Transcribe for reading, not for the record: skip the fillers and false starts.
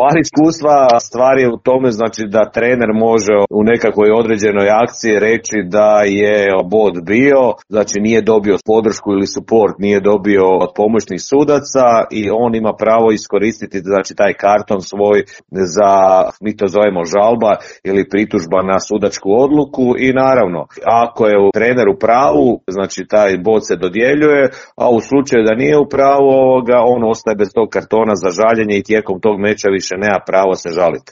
Van iskustva stvar je u tome znači da trener može u nekakvoj određenoj akciji reći da je bod bio, znači nije dobio podršku ili support, nije dobio od pomoćnih sudaca i on ima pravo iskoristiti znači taj karton svoj za, mi to zovemo žalba ili pritužba na sudačku odluku i naravno ako je trener u pravu, znači taj bod se dodjeljuje, a u slučaju da nije u pravu on ostaje bez tog kartona za žaljenje i tijekom tog meča više nema pravo se žaliti.